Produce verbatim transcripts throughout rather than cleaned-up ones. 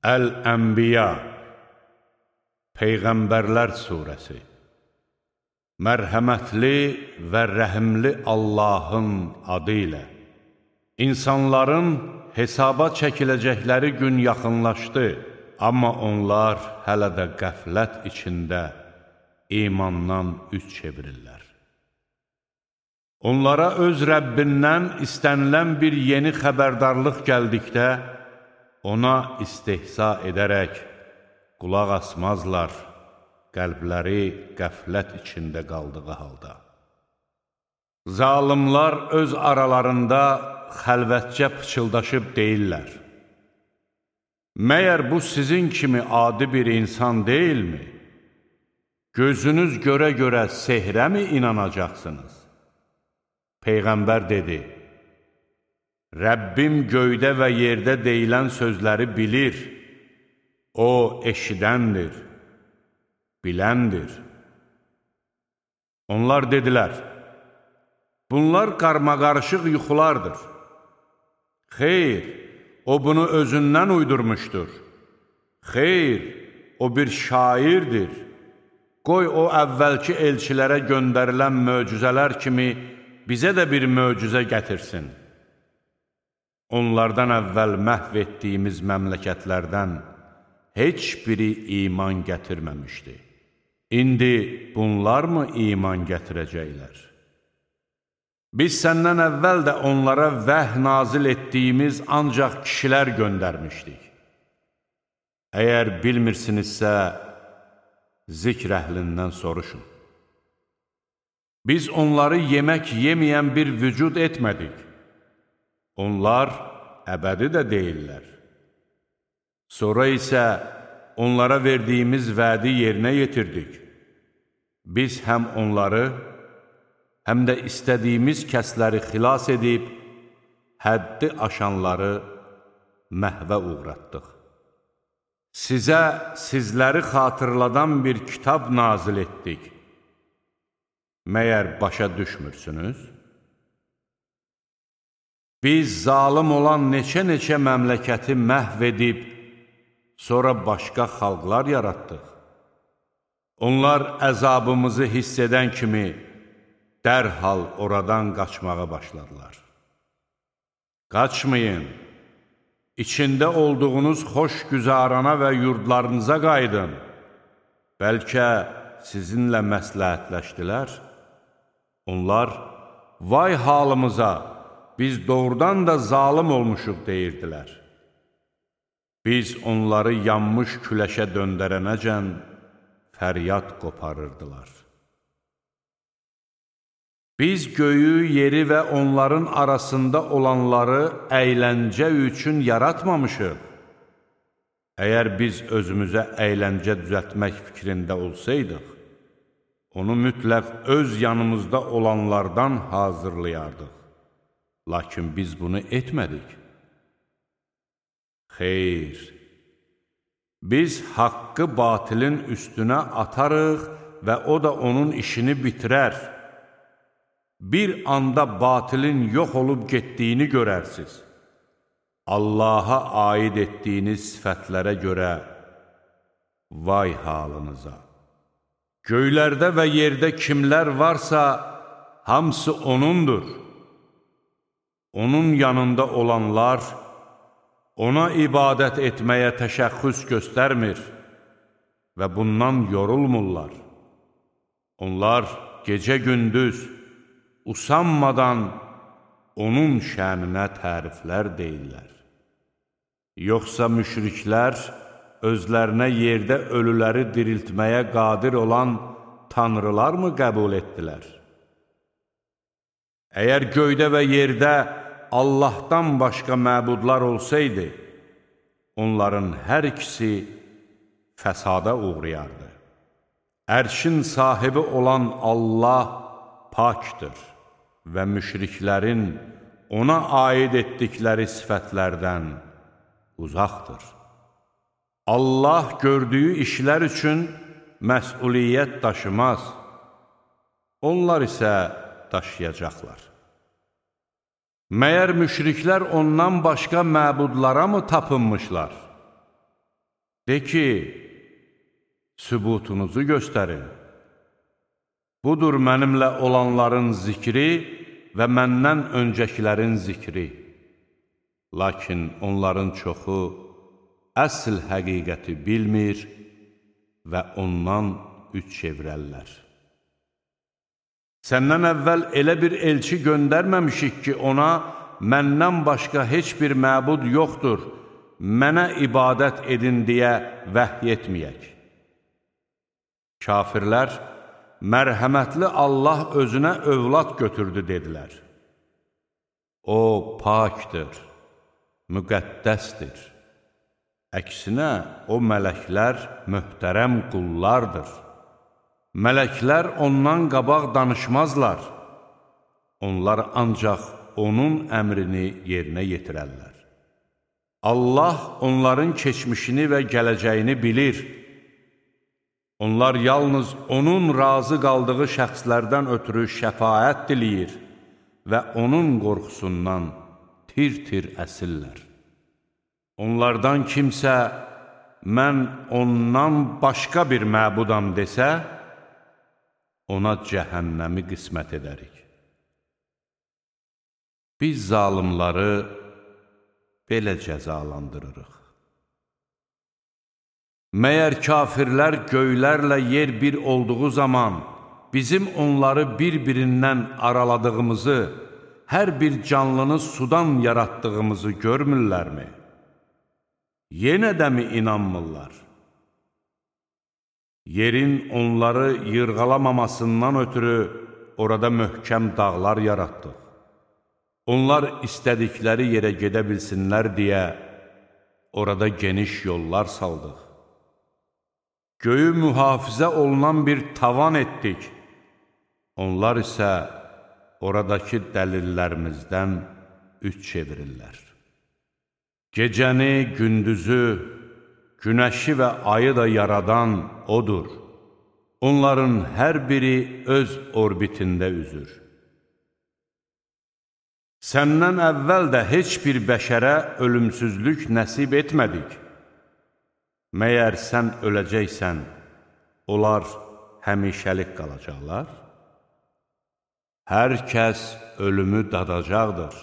Əl-Ənbiya Peyğəmbərlər surəsi. Mərhəmətli və rəhimli Allahın adı ilə. İnsanların hesaba çəkiləcəkləri gün yaxınlaşdı, amma onlar hələ də qəflət içində imandan üz çevirirlər. Onlara öz Rəbbindən istənilən bir yeni xəbərdarlıq gəldikdə, ona istehza edərək qulaq asmazlar, qəlbləri qəflət içində qaldığı halda. Zalimlar öz aralarında xəlvətcə pıçıldaşıb deyirlər: Məyər bu sizin kimi adi bir insan deyilmi? Gözünüz görə-görə sehrə mi inanacaqsınız? Peyğəmbər dedi: Rəbbim göydə və yerdə deyilən sözləri bilir. O eşidəndir, biləndir. Onlar dedilər: Bunlar qarmaqarışıq yuxulardır. Xeyr, o bunu özündən uydurmuşdur. Xeyr, o bir şairdir. Qoy o əvvəlki elçilərə göndərilən möcüzələr kimi bizə də bir möcüzə gətirsin. Onlardan əvvəl məhv etdiyimiz məmləkətlərdən heç biri iman gətirməmişdi. İndi bunlar mı iman gətirəcəklər? Biz səndən əvvəl də onlara vəh nazil etdiyimiz ancaq kişilər göndərmişdik. Əgər bilmirsinizsə, zikr əhlindən soruşun. Biz onları yemək yeməyən bir vücud etmədik. Onlar əbədi də deyirlər. Sonra isə onlara verdiyimiz vədi yerinə yetirdik. Biz həm onları, həm də istədiyimiz kəsləri xilas edib, həddi aşanları məhvə uğratdıq. Sizə sizləri xatırladan bir kitab nazil etdik. Məyər başa düşmürsünüz? Biz zalim olan neçə-neçə məmləkəti məhv edib, sonra başqa xalqlar yaratdıq. Onlar əzabımızı hiss edən kimi dərhal oradan qaçmağa başladılar. Qaçmayın, içində olduğunuz xoş güzarana və yurdlarınıza qaydın. Bəlkə sizinlə məsləhətləşdilər. Onlar, vay halımıza, biz doğrudan da zalim olmuşuq deyirdilər. Biz onları yanmış küləşə döndərənəcən fəryad qoparırdılar. Biz göyü, yeri və onların arasında olanları əyləncə üçün yaratmamışıq. Əgər biz özümüzə əyləncə düzəltmək fikrində olsaydıq, onu mütləq öz yanımızda olanlardan hazırlayardıq. Lakin biz bunu etmədik. Xeyr, biz haqqı batilin üstünə atarıq və o da onun işini bitirər. Bir anda batilin yox olub getdiyini görərsiniz. Allaha aid etdiyiniz sifətlərə görə vay halınıza. Göylərdə və yerdə kimlər varsa, hamısı O'nundur. Onun yanında olanlar, ona ibadət etməyə təşəxxüs göstərmir və bundan yorulmurlar. Onlar gecə-gündüz usanmadan onun şəninə təriflər deyirlər. Yoxsa müşriklər özlərinə yerdə ölüləri diriltməyə qadir olan tanrılar mı qəbul etdilər? Əgər göydə və yerdə Allahdan başqa məbudlar olsaydı, onların hər ikisi fəsada uğrayardı. Ərşin sahibi olan Allah pakdır və müşriklərin ona aid etdikləri sifətlərdən uzaqdır. Allah gördüyü işlər üçün məsuliyyət daşımaz, onlar isə daşıyacaqlar. Məyər müşriklər ondan başqa məbudlara mı tapınmışlar? De ki, sübutunuzu göstərin. Budur mənimlə olanların zikri və məndən öncəkilərin zikri. Lakin onların çoxu əsl həqiqəti bilmir və ondan üç çevrəllər. Səndən əvvəl elə bir elçi göndərməmişik ki, ona məndən başqa heç bir məbud yoxdur, mənə ibadət edin deyə vəhy etməyək. Kafirlər, mərhəmətli Allah özünə övlad götürdü, dedilər. O, pakdır, müqəddəsdir. Əksinə, o mələklər möhtərəm qullardır. Mələklər ondan qabaq danışmazlar. Onlar ancaq onun əmrini yerinə yetirərlər. Allah onların keçmişini və gələcəyini bilir. Onlar yalnız onun razı qaldığı şəxslərdən ötürü şəfaət diləyir və onun qorxusundan tir-tir əsirlər. Onlardan kimsə, mən ondan başqa bir məbudam desə, ona cəhənnəmi qismət edərik. Biz zalımları belə cəzalandırırıq. Məyər kafirlər göylərlə yer bir olduğu zaman bizim onları bir-birindən araladığımızı, hər bir canlını sudan yaratdığımızı görmürlərmi? Yenə də mi inanmırlar? Yerin onları yırğalamamasından ötürü orada möhkəm dağlar yaratdıq. Onlar istədikləri yerə gedə bilsinlər deyə orada geniş yollar saldıq. Göyü mühafizə olunan bir tavan etdik. Onlar isə oradakı dəlillərimizdən üç çevirirlər. Gecəni, gündüzü, günəşi və ayı da yaradan odur. Onların hər biri öz orbitində üzür. Səndən əvvəl də heç bir bəşərə ölümsüzlük nəsib etmədik. Məyər sən öləcəksən, onlar həmişəlik qalacaqlar? Hər kəs ölümü dadacaqdır.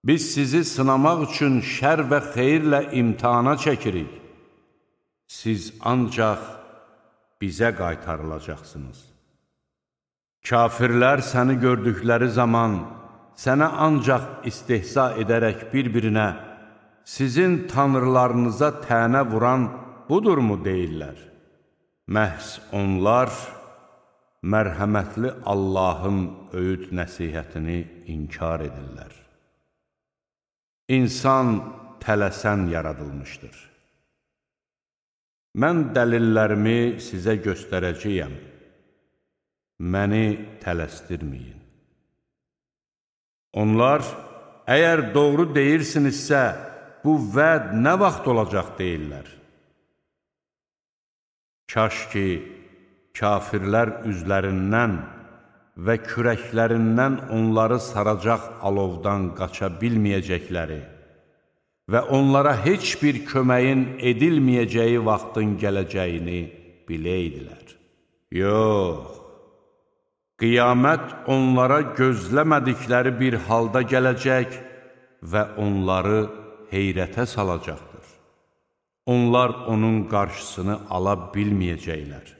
Biz sizi sınamaq üçün şər və xeyirlə imtihana çəkirik. Siz ancaq bizə qaytarılacaqsınız. Kafirlər səni gördükləri zaman sənə ancaq istehza edərək bir-birinə sizin tanrılarınıza tənə vuran budurmu deyirlər? Məhz onlar mərhəmətli Allahın öyüd nəsihətini inkar edirlər. İnsan tələsən yaradılmışdır. Mən dəlillərimi sizə göstərəcəyəm. Məni tələsdirməyin. Onlar, əgər doğru deyirsinizsə, bu vəd nə vaxt olacaq deyirlər. Kaş ki, kafirlər üzlərindən və kürəklərindən onları saracaq alovdan qaça bilməyəcəkləri və onlara heç bir köməyin edilməyəcəyi vaxtın gələcəyini biləydilər. Yox, qiyamət onlara gözləmədikləri bir halda gələcək və onları heyrətə salacaqdır. Onlar onun qarşısını ala bilməyəcəklər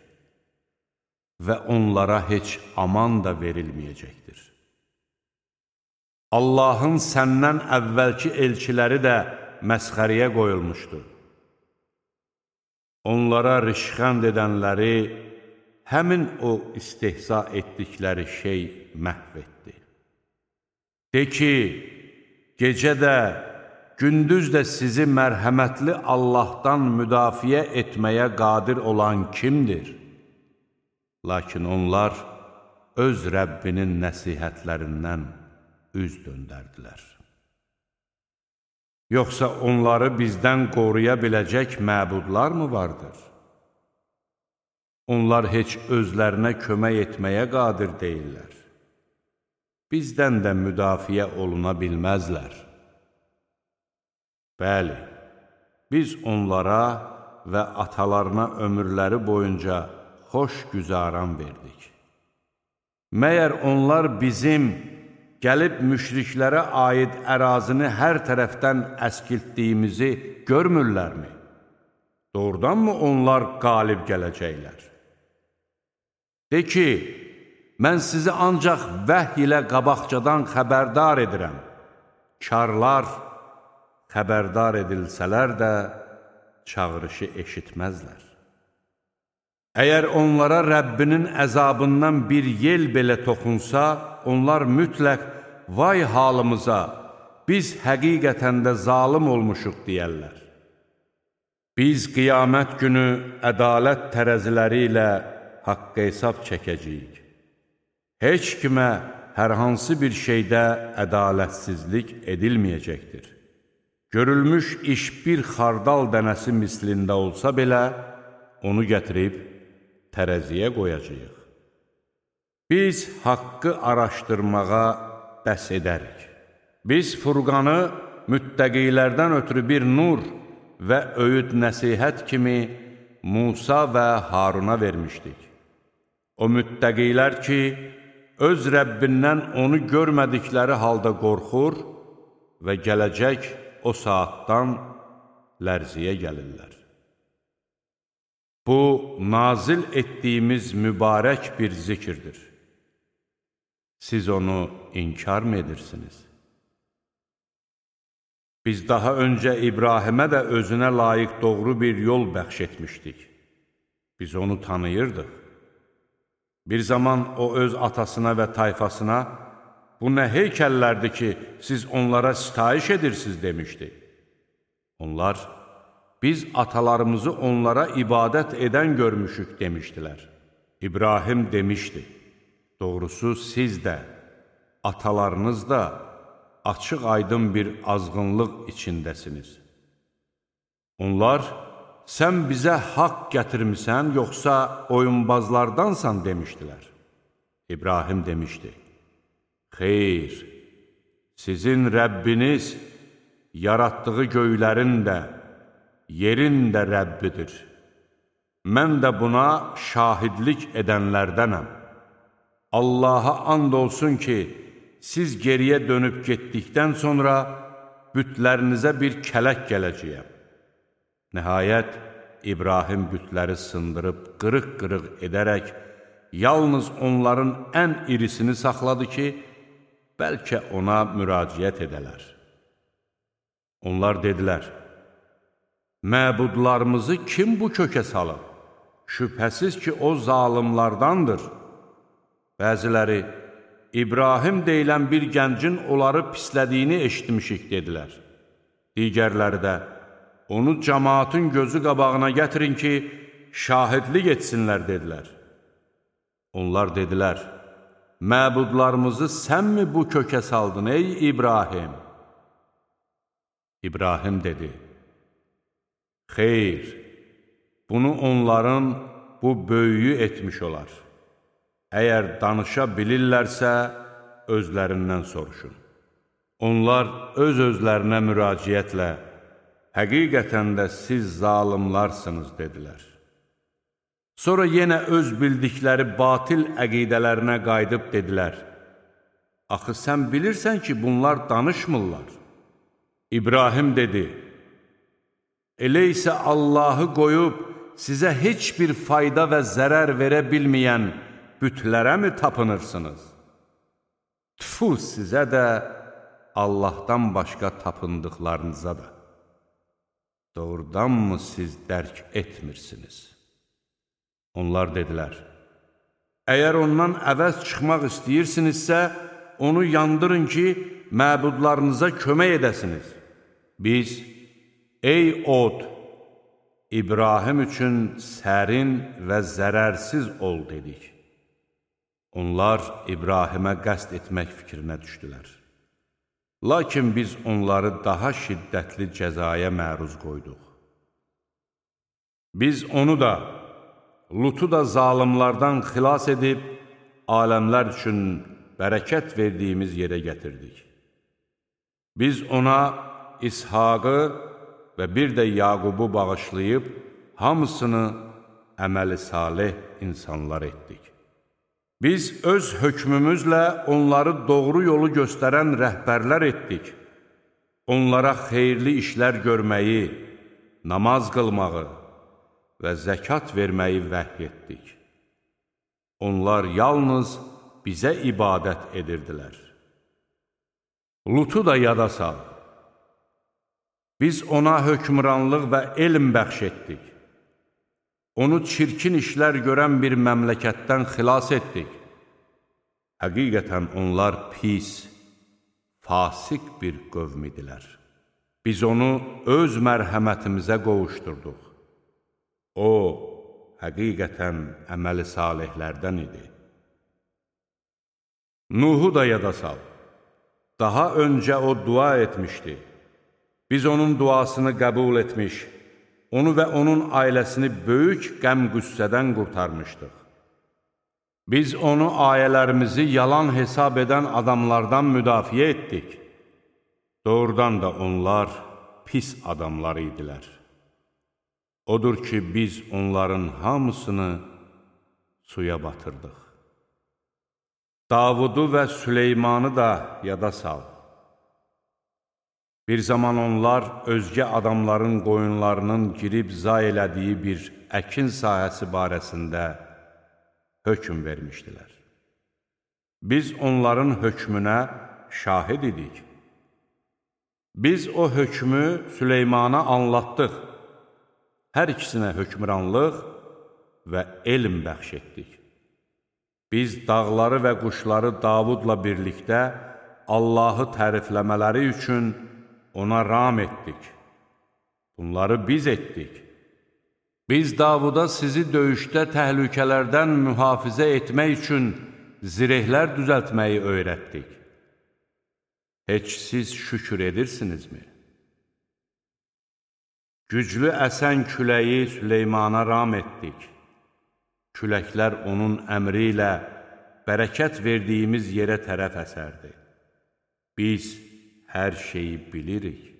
və onlara heç aman da verilməyəcəkdir. Allahın səndən əvvəlki elçiləri də məsxəriyə qoyulmuşdur. Onlara rişxənd edənləri həmin o istehza etdikləri şey məhv etdi. De ki, gecə də, gündüz də sizi mərhəmətli Allahdan müdafiə etməyə qadir olan kimdir? Lakin onlar öz Rəbbinin nəsihətlərindən üz döndərdilər. Yoxsa onları bizdən qoruya biləcək məbudlar mı vardır? Onlar heç özlərinə kömək etməyə qadir deyirlər. Bizdən də müdafiə oluna bilməzlər. Bəli, biz onlara və atalarına ömürləri boyunca xoş güzaran verdik. Məyər onlar bizim gəlib müşriklərə aid ərazini hər tərəfdən əskiltdiyimizi görmürlərmi? Doğrudanmı onlar qalib gələcəklər? De ki, mən sizi ancaq vəhy ilə qabaqcadan xəbərdar edirəm. Karlar xəbərdar edilsələr də çağırışı eşitməzlər. Əgər onlara Rəbbinin əzabından bir yel belə toxunsa, onlar mütləq vay halımıza, biz həqiqətən də zalım olmuşuq deyərlər. Biz qiyamət günü ədalət tərəziləri ilə haqq hesab çəkəcəyik. Heç kimə hər hansı bir şeydə ədalətsizlik edilməyəcəkdir. Görülmüş iş bir xardal dənəsi mislində olsa belə, onu gətirib tərəziyə qoyacağıq. Biz haqqı araşdırmağa bəs edərik. Biz Furqanı müttəqilərdən ötürü bir nur və öyüd nəsihət kimi Musa və Haruna vermişdik. O müttəqilər ki, öz Rəbbindən onu görmədikləri halda qorxur və gələcək o saatdan lərziyə gəlirlər. Bu, nazil etdiyimiz mübarək bir zikirdir. Siz onu inkar mı edirsiniz? Biz daha öncə İbrahimə də özünə layiq doğru bir yol bəxş etmişdik. Biz onu tanıyırdıq. Bir zaman o öz atasına və tayfasına, bu nə heykəllərdir ki, siz onlara sitayiş edirsiniz demişdi. Onlar, biz atalarımızı onlara ibadət edən görmüşük demişdilər. İbrahim demişdi, doğrusu siz də, atalarınız da açıq aydın bir azğınlıq içindəsiniz. Onlar, sən bizə haqq gətirmisən, yoxsa oyunbazlardansan demişdilər. İbrahim demişdi, xeyr, sizin Rəbbiniz yaratdığı göylərin də, yerin də Rəbbidir. Mən də buna şahidlik edənlərdənəm. Allaha and olsun ki, siz geriyə dönüb getdikdən sonra bütlərinizə bir kələk gələcəyəm. Nəhayət, İbrahim bütləri sındırıb, qırıq-qırıq edərək, yalnız onların ən irisini saxladı ki, bəlkə ona müraciət edələr. Onlar dedilər, məbudlarımızı kim bu kökə salıb? Şübhəsiz ki, o zalimlardandır. Bəziləri, İbrahim deyilən bir gəncin onları pislədiyini eşitmişik, dedilər. Digərləri də, onu cəmaatın gözü qabağına gətirin ki, şahidlik etsinlər, dedilər. Onlar dedilər, məbudlarımızı sənmi bu kökə saldın, ey İbrahim? İbrahim dedi, xeyr, bunu onların bu böyüyü etmiş olar. Əgər danışa bilirlərsə, özlərindən soruşun. Onlar öz-özlərinə müraciətlə, həqiqətən də siz zalimlarsınız, dedilər. Sonra yenə öz bildikləri batil əqidələrinə qayıdıb dedilər, axı sən bilirsən ki, bunlar danışmırlar. İbrahim dedi, elə isə Allahı qoyub sizə heç bir fayda və zərər verə bilməyən bütlərə mi tapınırsınız? Tüfu sizə də, Allahdan başqa tapındıqlarınıza da. Doğrudanmı siz dərk etmirsiniz? Onlar dedilər, əgər ondan əvəz çıxmaq istəyirsinizsə, onu yandırın ki, məbudlarınıza kömək edəsiniz. Biz, ey od, İbrahim üçün sərin və zərərsiz ol, dedik. Onlar İbrahimə qəsd etmək fikrinə düşdülər. Lakin biz onları daha şiddətli cəzaya məruz qoyduq. Biz onu da, Lutu da zalimlardan xilas edib, aləmlər üçün bərəkət verdiyimiz yerə gətirdik. Biz ona İshaqı və bir də Yaqubu bağışlayıb, hamısını əməli salih insanlar etdik. Biz öz hökmümüzlə onları doğru yolu göstərən rəhbərlər etdik. Onlara xeyirli işlər görməyi, namaz qılmağı və zəkat verməyi vəhy etdik. Onlar yalnız bizə ibadət edirdilər. Lutu da yada sal. Biz ona hökmranlıq və elm bəxş etdik. Onu çirkin işlər görən bir məmləkətdən xilas etdik. Həqiqətən onlar pis, fasik bir qövm idilər. Biz onu öz mərhəmətimizə qovuşdurduq. O, həqiqətən əməli salihlərdən idi. Nuhu da yada sal. Daha öncə o dua etmişdi. Biz onun duasını qəbul etmiş, onu və onun ailəsini böyük qəm-qüssədən qurtarmışdıq. Biz onu ayələrimizi yalan hesab edən adamlardan müdafiə etdik. Doğrudan da onlar pis adamlar idilər. Odur ki, biz onların hamısını suya batırdıq. Davudu və Süleymanı da yada sal. Bir zaman onlar özgə adamların qoyunlarının girib zay elədiyi bir əkin sahəsi barəsində hökm vermişdilər. Biz onların hökmünə şahid idik. Biz o hökmü Süleymana anlattıq. Hər ikisinə hökmranlıq və elm bəxş etdik. Biz dağları və quşları Davudla birlikdə Allahı tərifləmələri üçün ona ram etdik. Bunları biz etdik. Biz Davuda sizi döyüşdə təhlükələrdən mühafizə etmək üçün zirehlər düzəltməyi öyrətdik. Heç siz şükür edirsinizmi? Güclü əsən küləyi Süleymana ram etdik. Küləklər onun əmri ilə bərəkət verdiyimiz yerə tərəf əsərdi. Biz hər şeyi bilirik.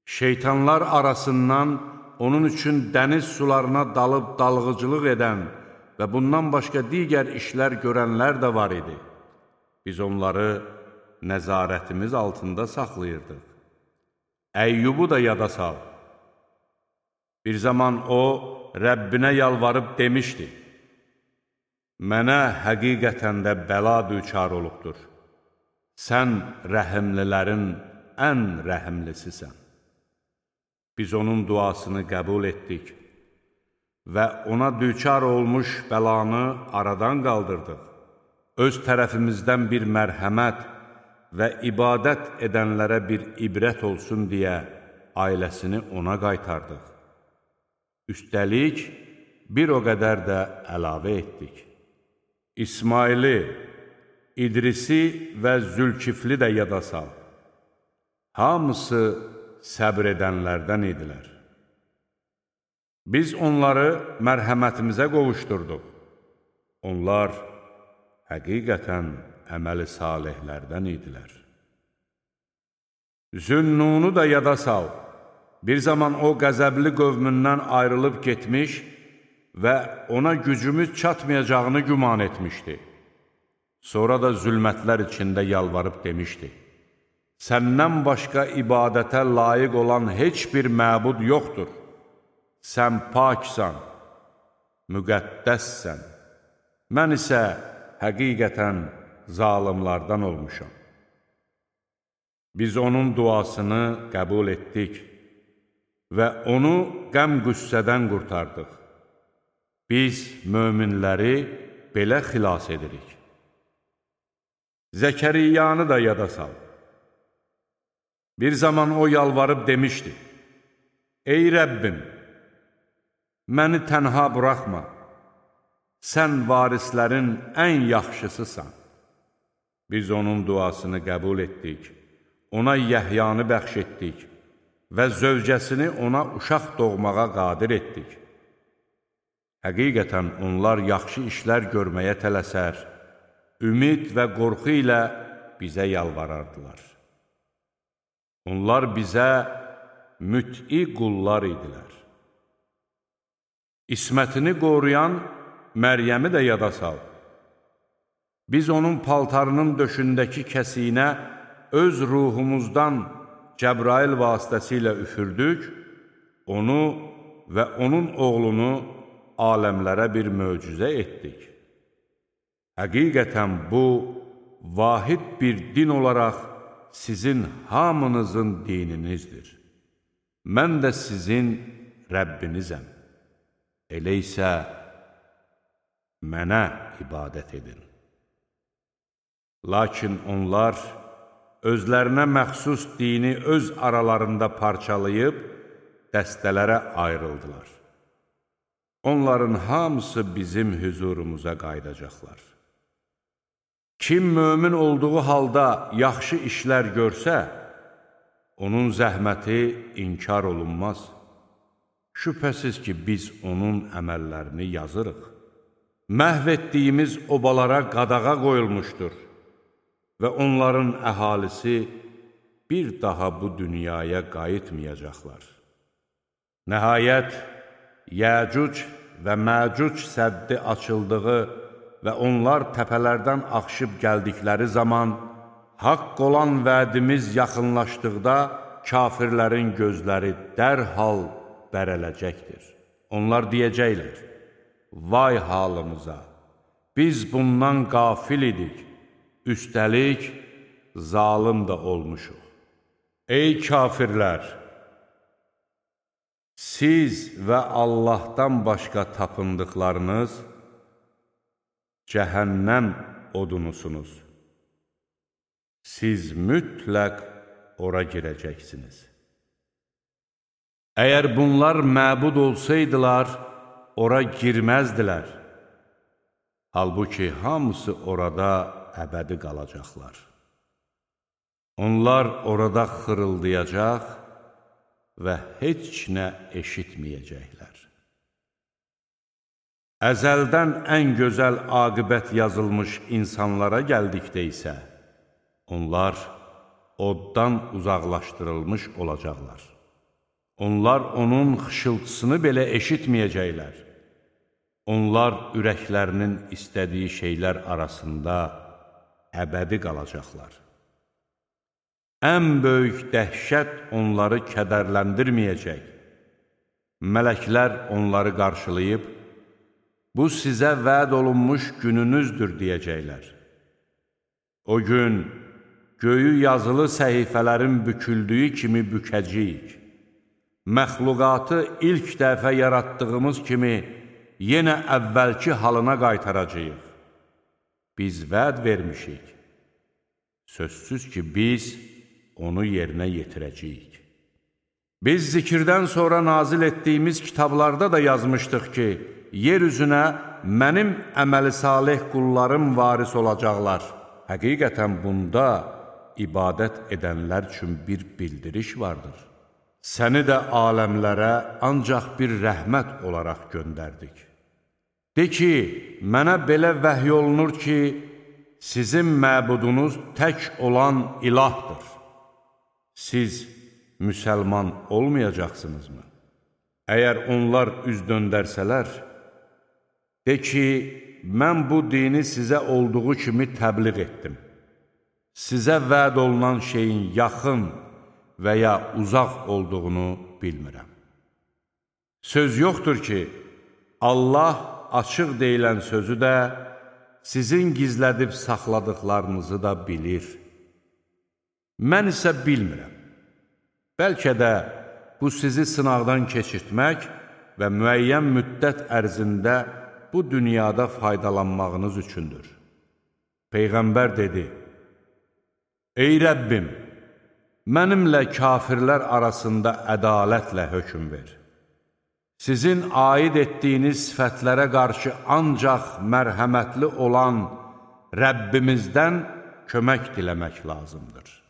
Şeytanlar arasından onun üçün dəniz sularına dalıb dalğıcılıq edən və bundan başqa digər işlər görənlər də var idi. Biz onları nəzarətimiz altında saxlayırdıq. Əyyubu da yada sal. Bir zaman o, Rəbbinə yalvarıb demişdi, mənə həqiqətən də bəla düçar olubdur. Sən rəhimlilərin ən rəhimlisisən. Biz onun duasını qəbul etdik və ona düçar olmuş bəlanı aradan qaldırdıq. Öz tərəfimizdən bir mərhəmət və ibadət edənlərə bir ibrət olsun deyə ailəsini ona qaytardıq. Üstəlik, bir o qədər də əlavə etdik. İsmaili, İdrisi və Zülkifli də yada sal. Hamısı səbr edənlərdən idilər. Biz onları mərhəmətimizə qovuşdurduq. Onlar həqiqətən əməli salihlərdən idilər. Zünnunu da yada sal. Bir zaman o qəzəbli qövmündən ayrılıb getmiş və ona gücümüz çatmayacağını güman etmişdi. Sonra da zülmətlər içində yalvarıb demişdi, səndən başqa ibadətə layiq olan heç bir məbud yoxdur. Sən paksan, müqəddəssən. Mən isə həqiqətən zalimlardan olmuşam. Biz onun duasını qəbul etdik və onu qəm-qüssədən qurtardıq. Biz möminləri belə xilas edirik. Zəkəriyyanı da yada sal. Bir zaman o yalvarıb demişdi, ey Rəbbim, məni tənha buraxma, sən varislərin ən yaxşısısan. Biz onun duasını qəbul etdik, ona Yəhyanı bəxş etdik və zövcəsini ona uşaq doğmağa qadir etdik. Həqiqətən onlar yaxşı işlər görməyə tələsər, ümid və qorxu ilə bizə yalvarardılar. Onlar bizə müt'i qullar idilər. İsmətini qoruyan Məryəmi də yada sal. Biz onun paltarının döşündəki kəsiyinə öz ruhumuzdan Cəbrail vasitəsilə üfürdük, onu və onun oğlunu aləmlərə bir möcüzə etdik. Həqiqətən bu, vahid bir din olaraq sizin hamınızın dininizdir. Mən də sizin Rəbbinizəm. Elə isə mənə ibadət edin. Lakin onlar özlərinə məxsus dini öz aralarında parçalayıb, dəstələrə ayrıldılar. Onların hamısı bizim hüzurumuza qaydacaqlar. Kim mömin olduğu halda yaxşı işlər görsə, onun zəhməti inkar olunmaz. Şübhəsiz ki, biz onun əməllərini yazırıq. Məhv etdiyimiz obalara qadağa qoyulmuşdur və onların əhalisi bir daha bu dünyaya qayıtmayacaqlar. Nəhayət, Yəcuc və Məcuc səddi açıldığı və onlar təpələrdən axışıb gəldikləri zaman, haqq olan vədimiz yaxınlaşdıqda kafirlərin gözləri dərhal bərələcəkdir. Onlar deyəcəklər, vay halımıza, biz bundan qafil idik, üstəlik zalım da olmuşuq. Ey kafirlər! Siz və Allahdan başqa tapındıqlarınız cəhənnəm odunusunuz. Siz mütləq ora girəcəksiniz. Əgər bunlar məbud olsaydılar, ora girməzdilər. Halbuki hamısı orada əbədi qalacaqlar. Onlar orada xırıldayacaq və heç nə eşitməyəcəklər. Əzəldən ən gözəl aqibət yazılmış insanlara gəldikdə isə, onlar oddan uzaqlaşdırılmış olacaqlar. Onlar onun xışıltısını belə eşitməyəcəklər. Onlar ürəklərinin istədiyi şeylər arasında əbədi qalacaqlar. Ən böyük dəhşət onları kədərləndirməyəcək. Mələklər onları qarşılayıb, bu sizə vəd olunmuş gününüzdür deyəcəklər. O gün göyü yazılı səhifələrin büküldüyü kimi bükəcəyik. Məxluqatı ilk dəfə yaratdığımız kimi yenə əvvəlki halına qaytaracağıq. Biz vəd vermişik. Sözsüz ki, biz onu yerinə yetirəcəyik. Biz zikirdən sonra nazil etdiyimiz kitablarda da yazmışdıq ki, yer üzünə mənim əməli salih qullarım varis olacaqlar. Həqiqətən bunda ibadət edənlər üçün bir bildiriş vardır. Səni də aləmlərə ancaq bir rəhmət olaraq göndərdik. De ki, mənə belə vəhy olunur ki, sizin məbudunuz tək olan ilahdır. Siz müsəlman olmayacaqsınızmı? Əgər onlar üz döndərsələr, de ki, mən bu dini sizə olduğu kimi təbliğ etdim. Sizə vəd olunan şeyin yaxın və ya uzaq olduğunu bilmirəm. Söz yoxdur ki, Allah açıq deyilən sözü də, sizin gizlədib saxladıqlarınızı da bilir. Mən isə bilmirəm. Bəlkə də bu sizi sınaqdan keçirtmək və müəyyən müddət ərzində bu dünyada faydalanmağınız üçündür. Peyğəmbər dedi, ey Rəbbim, mənimlə kafirlər arasında ədalətlə hökm ver. Sizin aid etdiyiniz sifətlərə qarşı ancaq mərhəmətli olan Rəbbimizdən kömək diləmək lazımdır.